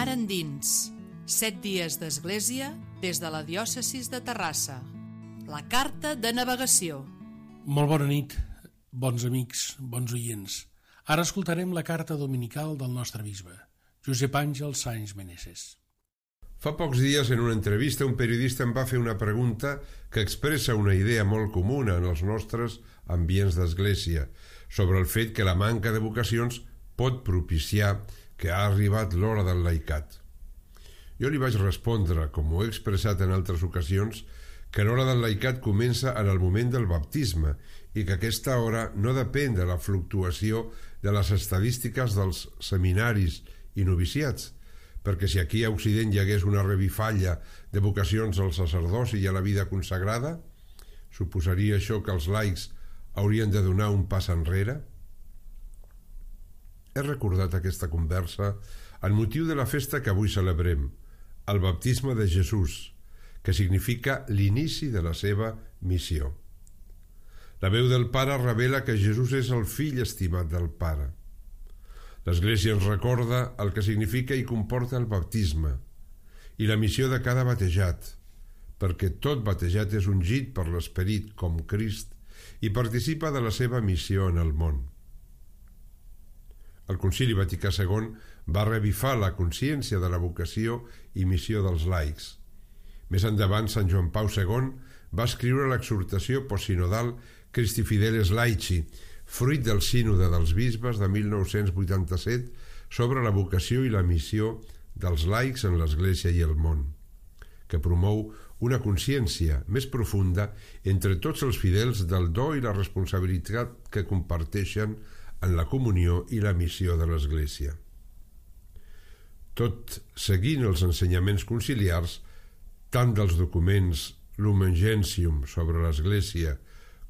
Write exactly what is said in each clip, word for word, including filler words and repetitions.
Mar endins, set dies d'església des de la diòcesi de Terrassa. La carta de navegació. Molt bona nit, bons amics, bons oients. Ara escoltarem la carta dominical del nostre bisbe, Josep Àngel Sáenz Meneses. Fa pocs dies, en una entrevista, un periodista em va fer una pregunta que expressa una idea molt comuna en els nostres ambients d'església sobre el fet que la manca de vocacions pot propiciar que ha arribat l'hora del laicat. Jo li vaig respondre, com ho he expressat en altres ocasions, que l'hora del laicat comença en el moment del baptisme i que aquesta hora no depèn de la fluctuació de les estadístiques dels seminaris i noviciats, perquè si aquí a Occident hi hagués una revifalla de vocacions al sacerdoci i a la vida consagrada, suposaria això que els laics haurien de donar un pas enrere? He recordat aquesta conversa en motiu de la festa que avui celebrem, el baptisme de Jesús, que significa l'inici de la seva missió. La veu del Pare revela que Jesús és el fill estimat del Pare. L'Església ens recorda el que significa i comporta el baptisme i la missió de cada batejat, perquè tot batejat és ungit per l'Esperit com Crist i participa de la seva missió en el món. El Concili Vaticà segon va revifar la consciència de la vocació i missió dels laics. Més endavant, Sant Joan Pau segon va escriure l'exhortació postsinodal Christi Fideles Laici, fruit del sínode dels bisbes de mil nou-cents vuitanta-set sobre la vocació i la missió dels laics en l'Església i el món, que promou una consciència més profunda entre tots els fidels del do i la responsabilitat que comparteixen en la comunió i la missió de l'Església. Tot seguint els ensenyaments conciliars, tant dels documents Lumen Gentium sobre l'Església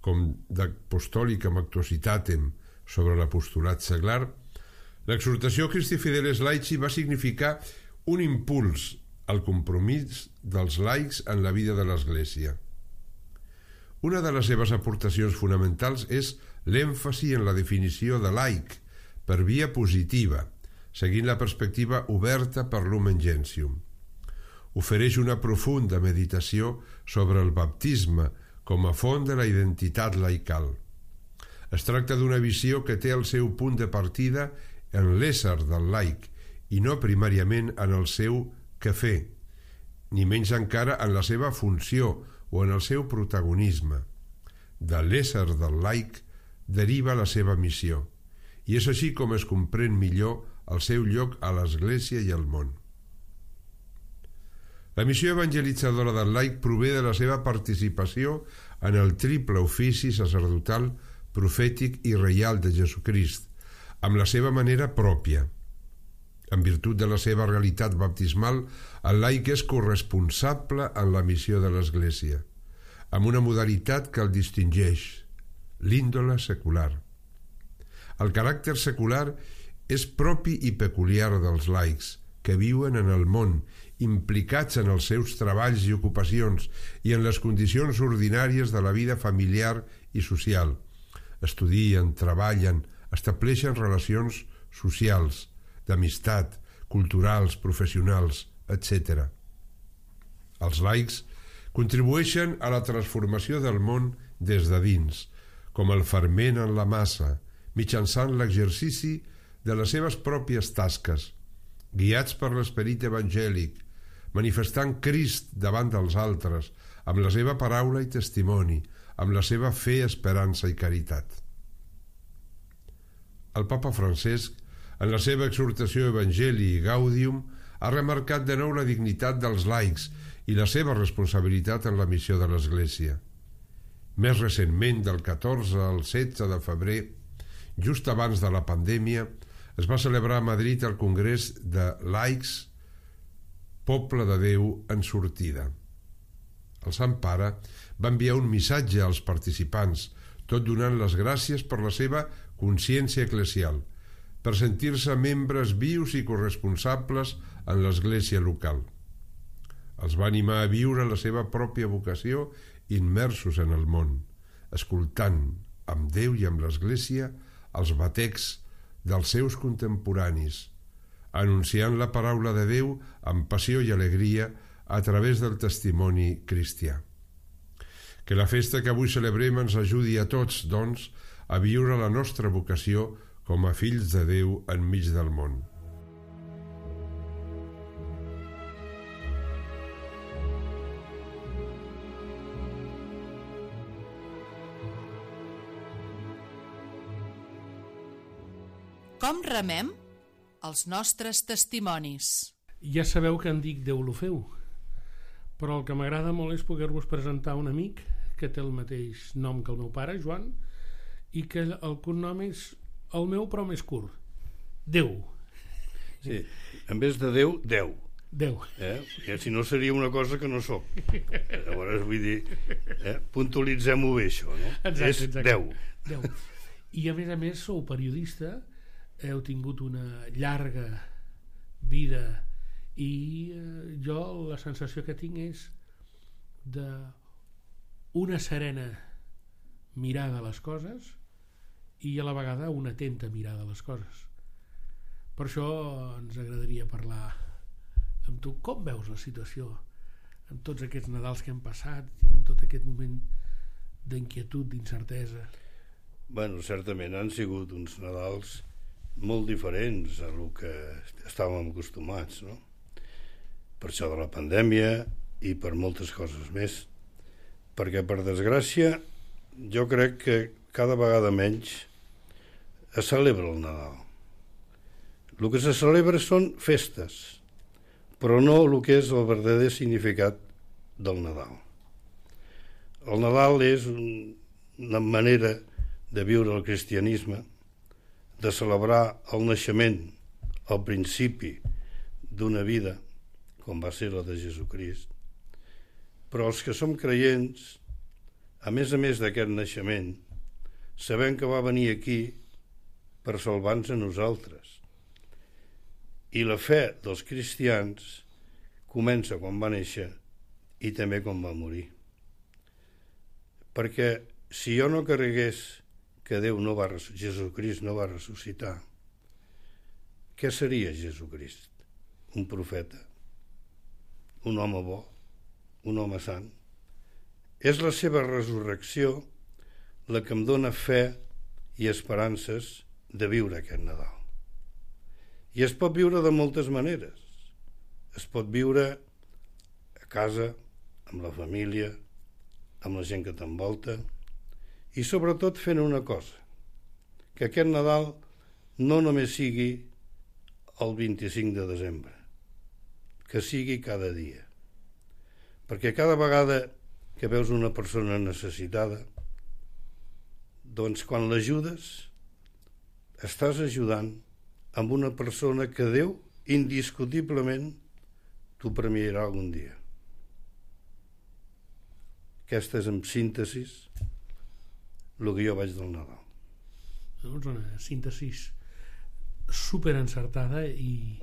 com d'Apostolicam Actuositatem sobre l'apostolat seglar, l'exhortació Christi Fideles Laici va significar un impuls al compromís dels laics en la vida de l'Església. Una de les seves aportacions fonamentals és l'èmfasi en la definició de laic per via positiva, seguint la perspectiva oberta per Lumen Gentium. Ofereix una profunda meditació sobre el baptisme com a font de la identitat laical. Es tracta d'una visió que té el seu punt de partida en l'ésser del laic i no primàriament en el seu què fer, ni menys encara en la seva funció o en el seu protagonisme. De l'ésser del laic deriva la seva missió, i és així com es comprèn millor el seu lloc a l'Església i al món. La missió evangelitzadora del laic prové de la seva participació en el triple ofici sacerdotal, profètic i reial de Jesucrist, amb la seva manera pròpia. En virtut de la seva realitat baptismal, el laic és corresponsable en la missió de l'Església, amb una modalitat que el distingeix, l'índole secular. El caràcter secular és propi i peculiar dels laics, que viuen en el món, implicats en els seus treballs i ocupacions i en les condicions ordinàries de la vida familiar i social. Estudien, treballen, estableixen relacions socials, d'amistat, culturals, professionals, etcètera. Els laics contribueixen a la transformació del món des de dins, com el ferment en la massa, mitjançant l'exercici de les seves pròpies tasques, guiats per l'esperit evangèlic, manifestant Crist davant dels altres, amb la seva paraula i testimoni, amb la seva fe, esperança i caritat. El Papa Francesc, en la seva exhortació Evangelii Gaudium, ha remarcat de nou la dignitat dels laics i la seva responsabilitat en la missió de l'Església. Més recentment, del catorze al setze de febrer, just abans de la pandèmia, es va celebrar a Madrid el Congrés de Laics Poble de Déu en sortida. El Sant Pare va enviar un missatge als participants, tot donant les gràcies per la seva consciència eclesial, per sentir-se membres vius i corresponsables en l'Església local. Els va animar a viure la seva pròpia vocació immersos en el món, escoltant amb Déu i amb l'Església els batecs dels seus contemporanis, anunciant la paraula de Déu amb passió i alegria a través del testimoni cristià. Que la festa que avui celebrem ens ajudi a tots, doncs, a viure la nostra vocació com a fills de Déu enmig del món. Com remem els nostres testimonis? Ja sabeu que em dic Déu lo feu, però el que m'agrada molt és poder-vos presentar un amic que té el mateix nom que el meu pare, Joan, i que el cognom és el meu però més curt, Déu. Sí, en vez de Déu, Déu. Déu. Eh? I si no seria una cosa que no soc. Llavors vull dir, eh? puntualitzem-ho bé això, no? Exacte, és exacte. Déu. Déu. I a més a més sou periodista, heu tingut una llarga vida i eh, jo la sensació que tinc és de una serena mirada a les coses i a la vegada una atenta mirada a les coses. Per això ens agradaria parlar amb tu. Com veus la situació amb tots aquests Nadals que hem passat, en tot aquest moment d'inquietud, d'incertesa? Bueno, certament han sigut uns Nadals molt diferents a el que estàvem acostumats, no? Per això de la pandèmia i per moltes coses més, perquè per desgràcia jo crec que cada vegada menys es celebra el Nadal. El que se celebra són festes, però no el que és el verdader significat del Nadal. El Nadal és una manera de viure el cristianisme, de celebrar el naixement, el principi d'una vida, com va ser la de Jesucrist. Però els que som creients, a més a més d'aquest naixement, sabem que va venir aquí per salvar-nos a nosaltres. I la fe dels cristians comença quan va néixer i també quan va morir. Perquè si jo no carregués que Déu no va, Jesucrist no va ressuscitar, què seria Jesucrist? Un profeta? Un home bo? Un home sant? És la seva resurrecció la que em dóna fe i esperances de viure aquest Nadal. I es pot viure de moltes maneres. Es pot viure a casa, amb la família, amb la gent que t'envolta, i sobretot fent una cosa, que aquest Nadal no només sigui el vint-i-cinc de desembre, que sigui cada dia. Perquè cada vegada que veus una persona necessitada, doncs quan l'ajudes, estàs ajudant amb una persona que Déu indiscutiblement t'ho premiarà algun dia. Aquesta és, en síntesi, el que jo veig del Nadal. Doncs una síntesi super encertada i,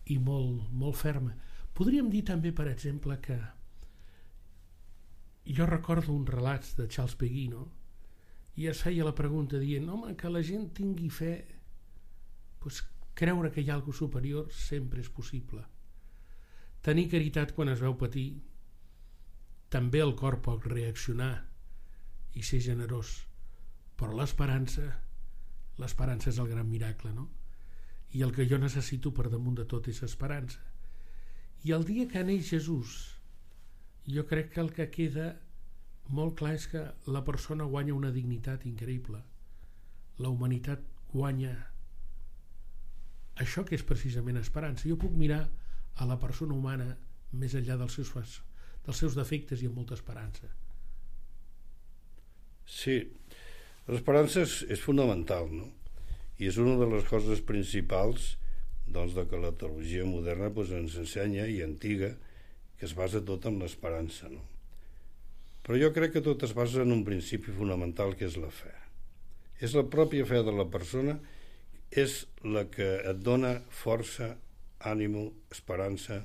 i molt, molt ferma. Podríem dir també, per exemple, que jo recordo uns relats de Charles Péguy, no? I es feia la pregunta dient, home, que la gent tingui fe, doncs creure que hi ha alguna superior sempre és possible. Tenir caritat quan es veu patir, també el cor pot reaccionar i ser generós, però l'esperança, l'esperança és el gran miracle, no? I el que jo necessito per damunt de tot és esperança. I el dia que neix Jesús, jo crec que el que queda molt clar és que la persona guanya una dignitat increïble. La humanitat guanya això que és precisament esperança. Jo puc mirar a la persona humana més enllà dels seus, dels seus defectes i amb molta esperança. Sí, l'esperança és, és fonamental, no? I és una de les coses principals, doncs, de que la teologia moderna doncs, ens ensenya, i antiga, que es basa tot en l'esperança, no? Però jo crec que tot es basa en un principi fonamental, que és la fe. És la pròpia fe de la persona, és la que et dona força, ànimo, esperança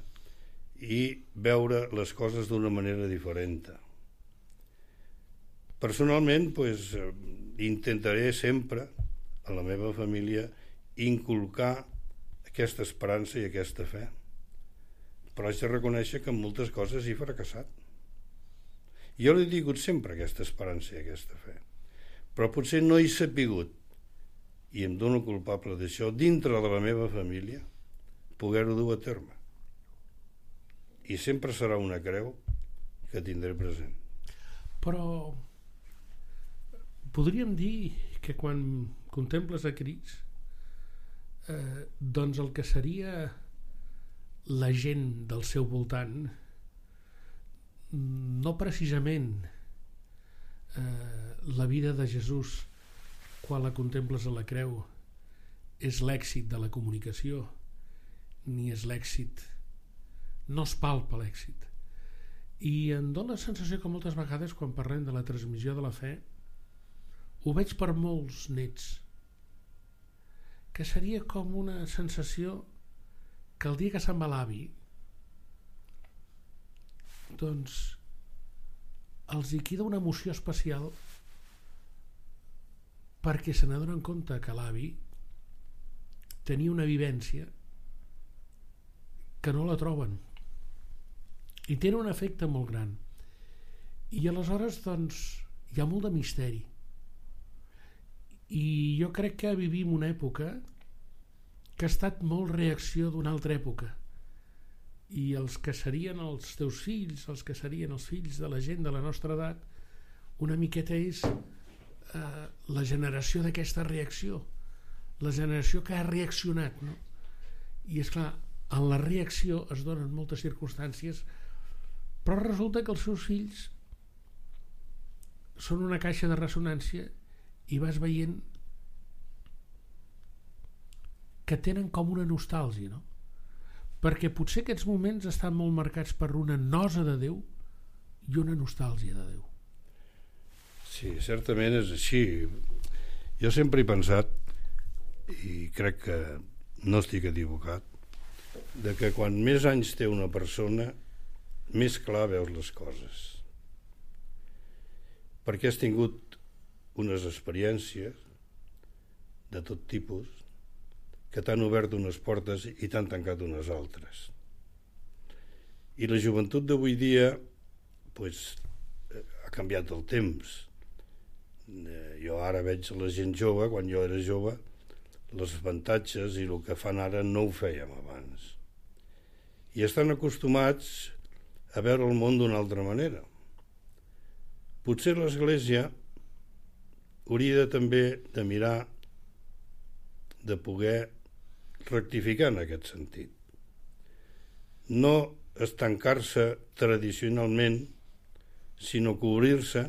i veure les coses d'una manera diferent. Personalment, doncs, intentaré sempre a la meva família inculcar aquesta esperança i aquesta fe, però haig de reconèixer que en moltes coses he fracassat. Jo l'he tingut sempre, aquesta esperança i aquesta fe, però potser no he sapigut, i em dono culpable d'això, dintre de la meva família, poder-ho dur a terme. I sempre serà una creu que tindré present. Però podríem dir que quan contemples a Crist, eh, doncs el que seria la gent del seu voltant, no precisament eh, la vida de Jesús quan la contemples a la creu és l'èxit de la comunicació, ni és l'èxit, no es palpa l'èxit. I em dóna la sensació que moltes vegades quan parlem de la transmissió de la fe ho veig per molts nets, que seria com una sensació que el dia que se'n va l'avi, doncs els hi queda una emoció especial perquè se n'adonen compte que l'avi tenia una vivència que no la troben i tenen un efecte molt gran, i aleshores doncs hi ha molt de misteri. I jo crec que vivim una època que ha estat molt reacció d'una altra època, i els que serien els teus fills, els que serien els fills de la gent de la nostra edat, una miqueta és eh, la generació d'aquesta reacció, la generació que ha reaccionat, no? I és clar, en la reacció es donen moltes circumstàncies, però resulta que els seus fills són una caixa de ressonància i vas veient que tenen com una nostàlgia, no? Perquè potser aquests moments estan molt marcats per una nosa de Déu i una nostàlgia de Déu. Sí, certament és així. Jo sempre he pensat, i crec que no estic equivocat, de que quan més anys té una persona, més clar veus les coses. Perquè has tingut unes experiències de tot tipus que t'han obert unes portes i t'han tancat unes altres. I la joventut d'avui dia pues, ha canviat el temps. Jo ara veig la gent jove, quan jo era jove, els avantatges i el que fan ara no ho fèiem abans. I estan acostumats a veure el món d'una altra manera. Potser l'Església hauria de, també de mirar de poder rectificar en aquest sentit. No estancar-se tradicionalment, sinó cobrir-se.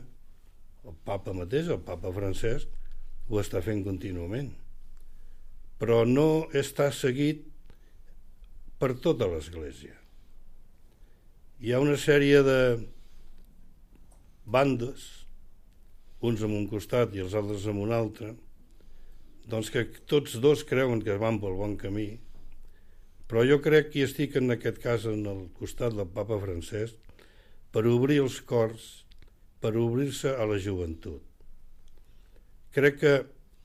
El papa mateix, el papa Francesc, ho està fent contínuament. Però no està seguit per tota l'Església. Hi ha una sèrie de bandes, uns en un costat i els altres en un altre, doncs que tots dos creuen que van pel bon camí, però jo crec que estic en aquest cas en el costat del papa Francesc per obrir els cors, per obrir-se a la joventut. Crec que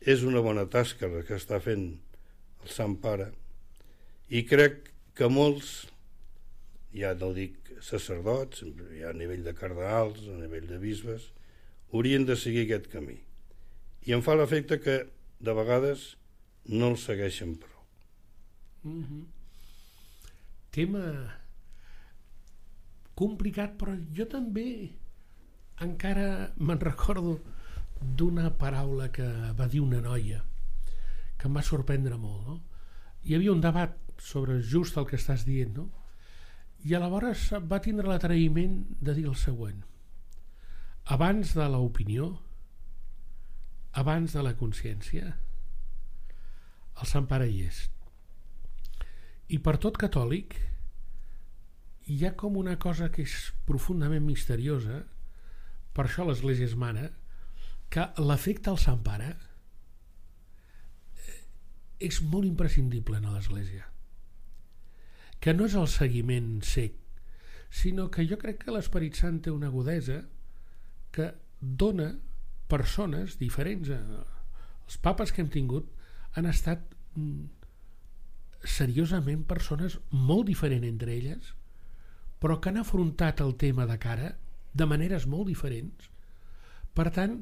és una bona tasca la que està fent el Sant Pare, i crec que molts, ja no dic sacerdots, ja a nivell de cardenals, a nivell de bisbes, haurien de seguir aquest camí. I em fa l'efecte que de vegades no el segueixen prou. Mm-hmm. Tema complicat, però jo també encara me'n recordo d'una paraula que va dir una noia que em va sorprendre molt, no? Hi havia un debat sobre just el que estàs dient, no? I aleshores va tindre l'atreviment de dir el següent: abans de l'opinió, abans de la consciència, el Sant Pare hi és. I per tot catòlic hi ha com una cosa que és profundament misteriosa, per això l'Església es mana, que l'efecte al Sant Pare és molt imprescindible en l'Església, que no és el seguiment cec, sinó que jo crec que l'Esperit Sant té una agudesa que dona persones diferents. Els papes que hem tingut han estat seriosament persones molt diferents entre elles, però que han afrontat el tema de cara de maneres molt diferents. Per tant,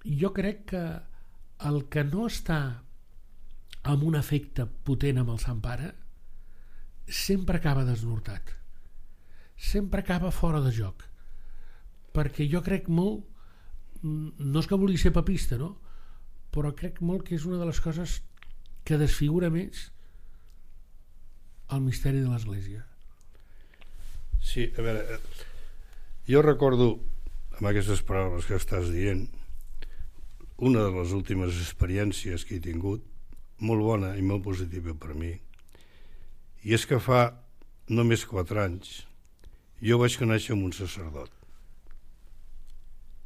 jo crec que el que no està amb un efecte potent amb el Sant Pare sempre acaba desnortat, sempre acaba fora de joc, perquè jo crec molt, no és que vulgui ser papista, no? Però crec molt que és una de les coses que desfigura més el misteri de l'Església. Sí, a veure, jo recordo, amb aquestes paraules que estàs dient, una de les últimes experiències que he tingut, molt bona i molt positiva per mi, i és que fa només quatre anys jo vaig conèixer amb un sacerdot.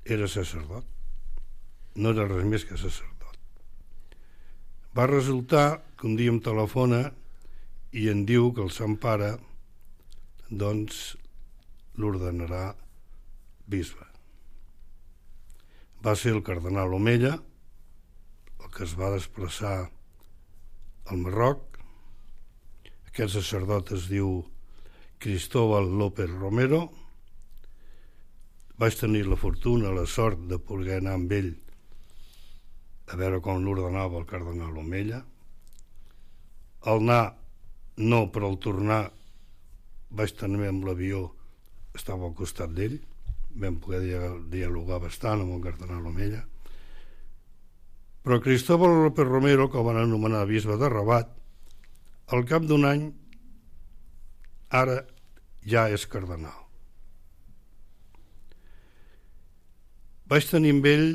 Era sacerdot, no era res més que sacerdot. Va resultar que un dia em telefona i em diu que el Sant Pare doncs l'ordenarà bisbe. Va ser el cardenal Omella el que es va desplaçar al Marroc. Aquest sacerdot es diu Cristóbal López Romero. Vaig tenir la fortuna, la sort de poder anar amb ell a veure com l'ordenava el cardenal Omella. Al anar, no, però al tornar vaig tenir amb l'avió, estava al costat d'ell, vam poder dialogar bastant amb el cardenal Omella. Però Cristóbal López Romero, que el van anomenar bisbe de Rabat, al cap d'un any ara ja és cardenal. Vaig tenir amb ell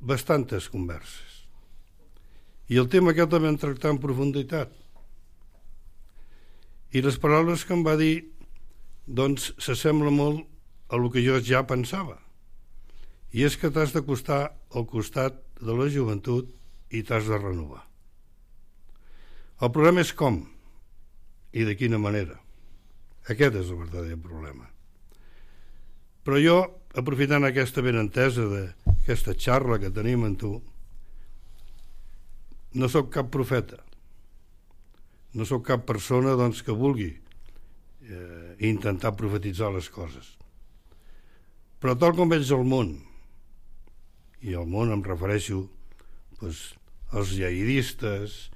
bastantes converses i el tema aquest el vam tractar en profunditat, i les paraules que em va dir doncs s'assembla molt a el que jo ja pensava, i és que t'has d'acostar al costat de la joventut i t'has de renovar. El problema és com i de quina manera. Aquest és el verdader problema. Però jo, aprofitant aquesta benentesa d'aquesta xarra que tenim amb tu, no sóc cap profeta, no sóc cap persona doncs, que vulgui eh, intentar profetitzar les coses. Però tal com veig el món, i al món em refereixo doncs, als jihadistes,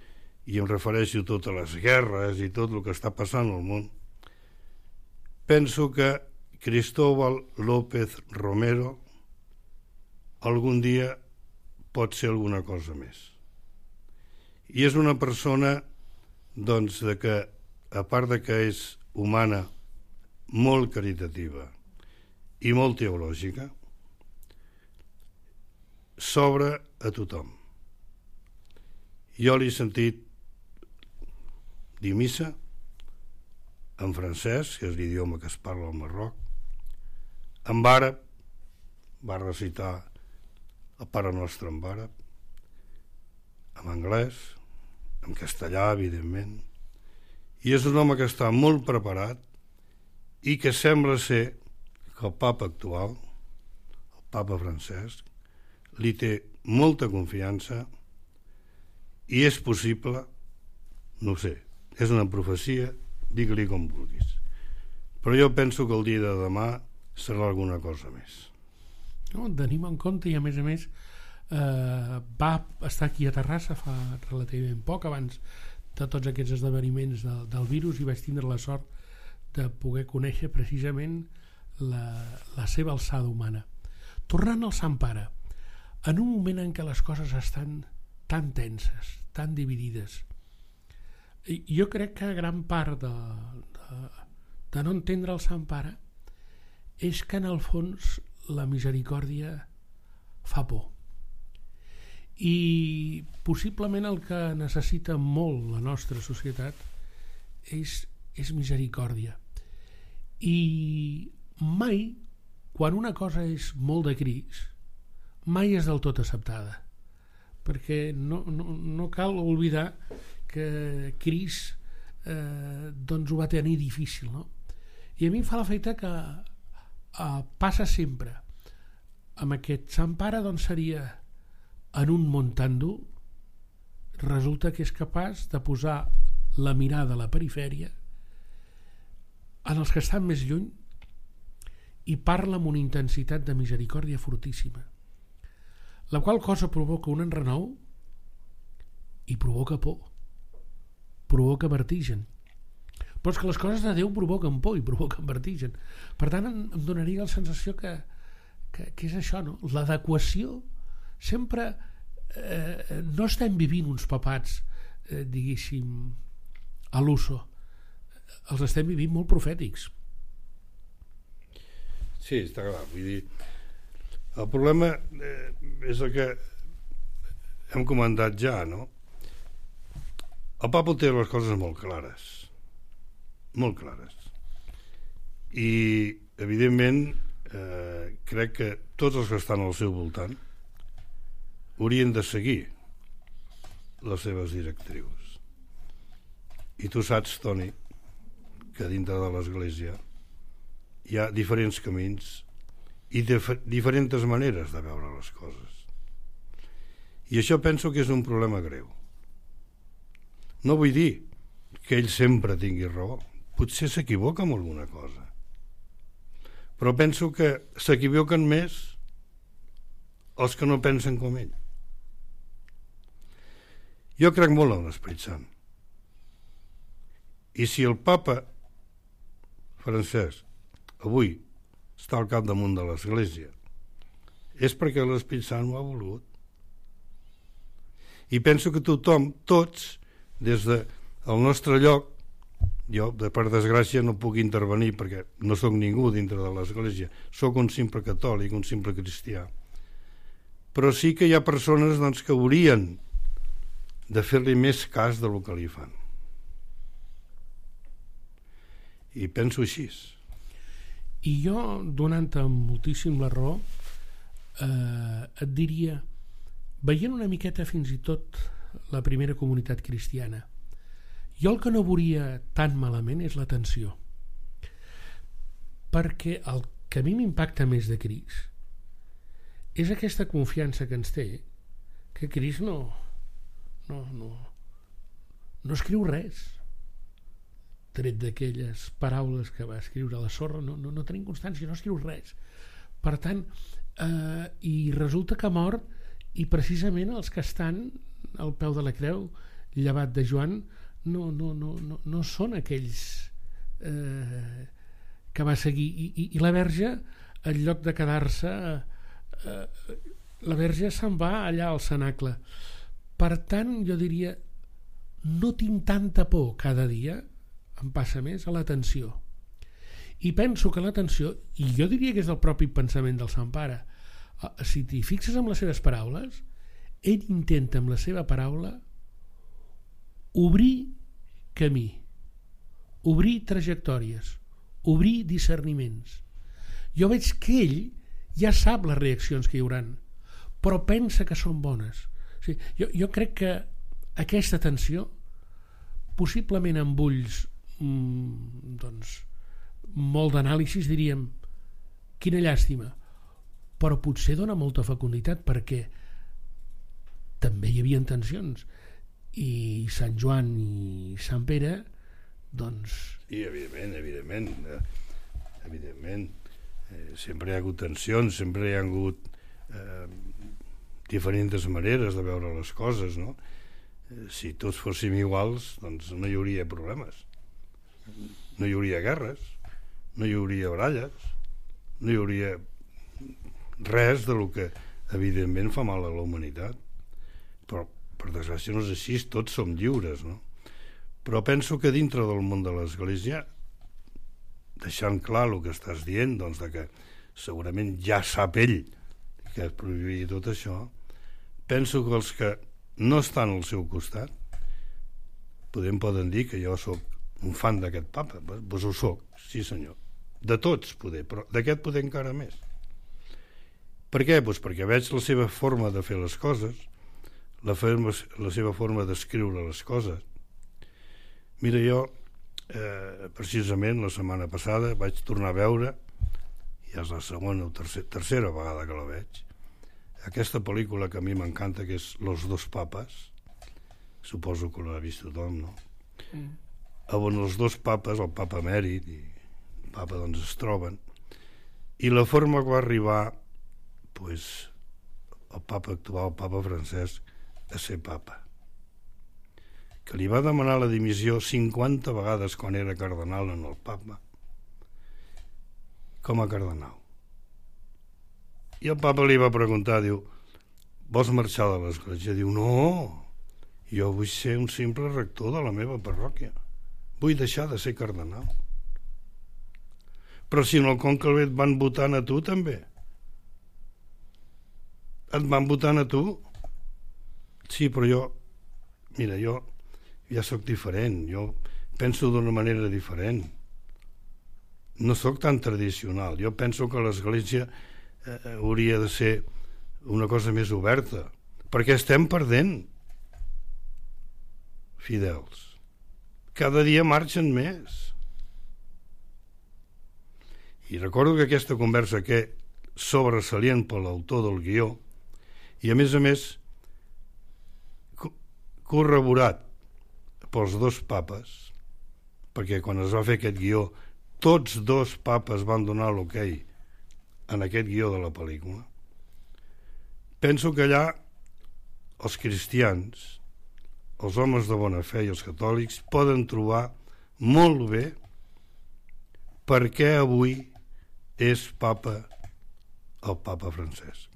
i em refereixo a totes les guerres i tot el que està passant al món, penso que Cristóbal López Romero algun dia pot ser alguna cosa més. I és una persona doncs, de que, a part de que és humana, molt caritativa i molt teològica, s'obre a tothom. Jo l'he sentit dir missa en francès, que és l'idioma que es parla al Marroc, en àrab, va recitar el Pare Nostre en àrab, en anglès, en castellà, evidentment, i és un home que està molt preparat i que sembla ser que el papa actual, el papa Francesc, li té molta confiança i és possible, no ho sé, és una profecia, digue-li com vulguis, però jo penso que el dia de demà serà alguna cosa més. No, tenim en compte, i a més a més eh, va estar aquí a Terrassa fa relativament poc abans de tots aquests esdeveniments del, del virus, i vaig tindre la sort de poder conèixer precisament la, la seva alçada humana. Tornant al Sant Pare, en un moment en què les coses estan tan tenses, tan dividides, jo crec que gran part de, de, de no entendre el Sant Pare és que en el fons la misericòrdia fa por, i possiblement el que necessita molt la nostra societat és, és misericòrdia. I mai, quan una cosa és molt de cris, mai és del tot acceptada, perquè no, no, no cal oblidar que Cris eh, doncs ho va tenir difícil, no? I a mi em fa l'efecte que eh, passa sempre amb aquest Sant Pare, doncs seria en un món tan dur resulta que és capaç de posar la mirada a la perifèria en els que estan més lluny i parla amb una intensitat de misericòrdia fortíssima, la qual cosa provoca un enrenou i provoca por, provoca vertigen. Però és que les coses de Déu provoquen por i provoquen vertigen. Per tant, em, em donaria la sensació que, que, que és això, no? L'adequació sempre eh, no estem vivint uns papats eh, diguéssim a l'uso, els estem vivint molt profètics. Sí, està clar, vull dir, el problema eh, és el que hem comentat ja, no? El Papa té les coses molt clares, molt clares, i evidentment eh, crec que tots els que estan al seu voltant haurien de seguir les seves directrius. I tu saps, Toni, que dintre de l'Església hi ha diferents camins i dif- diferents maneres de veure les coses. I això penso que és un problema greu. No vull dir que ell sempre tingui raó. Potser s'equivoca amb alguna cosa. Però penso que s'equivoquen més els que no pensen com ell. Jo crec molt en l'Esperit Sant. I si el papa Francesc avui està al capdamunt de l'Església és perquè l'Esperit Sant ho ha volgut. I penso que tothom, tots, des del nostre lloc, jo per desgràcia no puc intervenir perquè no sóc ningú dintre de l'Església, sóc un simple catòlic, un simple cristià, però sí que hi ha persones doncs, que haurien de fer-li més cas del que li fan. I penso així. I jo, donant-te moltíssim la raó, eh, et diria, veient una miqueta fins i tot la primera comunitat cristiana, jo el que no veuria tan malament és l'atenció, perquè el que a mi m'impacta més de Crist és aquesta confiança que ens té, que Crist no no, no, no escriu res tret d'aquelles paraules que va escriure a la sorra, no, no, no tenim constància, no escriu res. Per tant, eh, i resulta que mor, i precisament els que estan al peu de la creu, llevat de Joan, no, no, no, no, no són aquells eh, que va seguir. I, i, i la Verge, en lloc de quedar-se, eh, la Verge se'n va allà al cenacle. Per tant, jo diria, no tinc tanta por cada dia, em passa més, a l'atenció. I penso que l'atenció, i jo diria que és el propi pensament del Sant Pare, si t'hi fixes amb les seves paraules, ell intenta amb la seva paraula obrir camí, obrir trajectòries, obrir discerniments. Jo veig que ell ja sap les reaccions que hi hauran, però pensa que són bones. O sigui, jo, jo crec que aquesta atenció, possiblement amb ulls mmm, doncs, molt d'anàlisis, diríem, quina llàstima, però potser dona molta fecunditat, perquè també hi havia tensions, i Sant Joan i Sant Pere, doncs... I evidentment, evidentment, eh, evidentment, eh, sempre hi ha hagut tensions, sempre hi ha hagut eh, diferents maneres de veure les coses, no? Eh, si tots fóssim iguals, doncs no hi hauria problemes, no hi hauria guerres, no hi hauria baralles, no hi hauria res de lo que evidentment fa mal a la humanitat. Però per desgràcia no és així, tots som lliures, no? Però penso que dintre del món de l'Església, deixant clar el que estàs dient, doncs de que segurament ja sap ell que es prohibia tot això, penso que els que no estan al seu costat podem poden dir que jo sóc un fan d'aquest papa. Doncs ho soc, sí senyor, de tots poder, però d'aquest poder encara més. Per què? Doncs perquè veig la seva forma de fer les coses, la, forma, la seva forma d'escriure les coses. Mira, jo eh, precisament la setmana passada vaig tornar a veure, ja és la segona o tercera, tercera vegada que la veig, aquesta pel·lícula que a mi m'encanta, que és Los dos papes, suposo que l'ha vist tothom, no? Mm. On els dos papes, el papa emèrit i el papa, doncs es troben, i la forma que va arribar pues, el papa actual, el papa Francesc, a ser papa, que li va demanar la dimissió cinquanta vegades quan era cardenal en el papa, com a cardenal. I el papa li va preguntar, diu, vols marxar de l'església? Diu, no, jo vull ser un simple rector de la meva parròquia, vull deixar de ser cardenal. Però si en el conclave et van votant a tu també, et van votant a tu. Sí, però jo, mira, jo ja sóc diferent, jo penso d'una manera diferent, no sóc tan tradicional, jo penso que l'església eh, hauria de ser una cosa més oberta, perquè estem perdent fidels, cada dia marxen més. I recordo que aquesta conversa, que sobresalient per l'autor del guió, i a més a més corroborat pels dos papes, perquè quan es va fer aquest guió tots dos papes van donar l'ok en aquest guió de la pel·lícula. Penso que allà els cristians, els homes de bona fe i els catòlics poden trobar molt bé per què avui és papa el papa Francesc.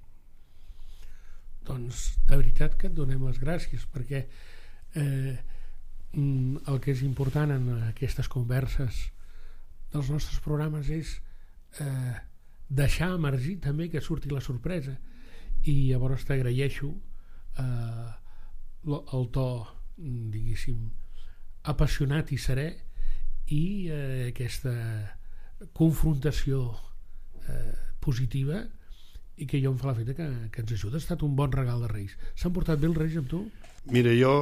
Doncs de veritat que et donem les gràcies, perquè eh, el que és important en aquestes converses dels nostres programes és eh, deixar emergir també que surti la sorpresa, i llavors t'agraeixo eh, el to, diguéssim, apassionat i serè, i eh, aquesta confrontació eh, positiva, i que jo em fa la feta que, que ens ajuda. Ha estat un bon regal de Reis. S'han portat bé els Reis amb tu? Mira, jo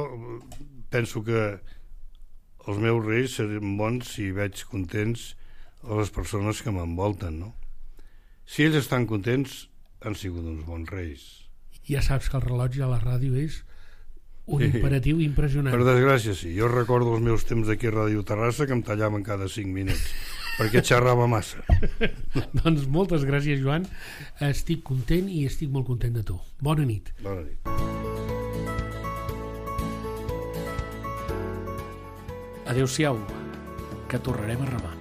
penso que els meus Reis seran bons si veig contents a les persones que m'envolten, no? Si ells estan contents, han sigut uns bons Reis. Ja saps que el rellotge a la ràdio és un imperatiu impressionant. Per desgràcia, sí. Jo recordo els meus temps aquí a Ràdio Terrassa que em tallaven cada cinc minuts perquè xerrava massa. Doncs moltes gràcies, Joan. Estic content i estic molt content de tu. Bona nit. Bona nit. Adéu-siau, que tornarem a remar.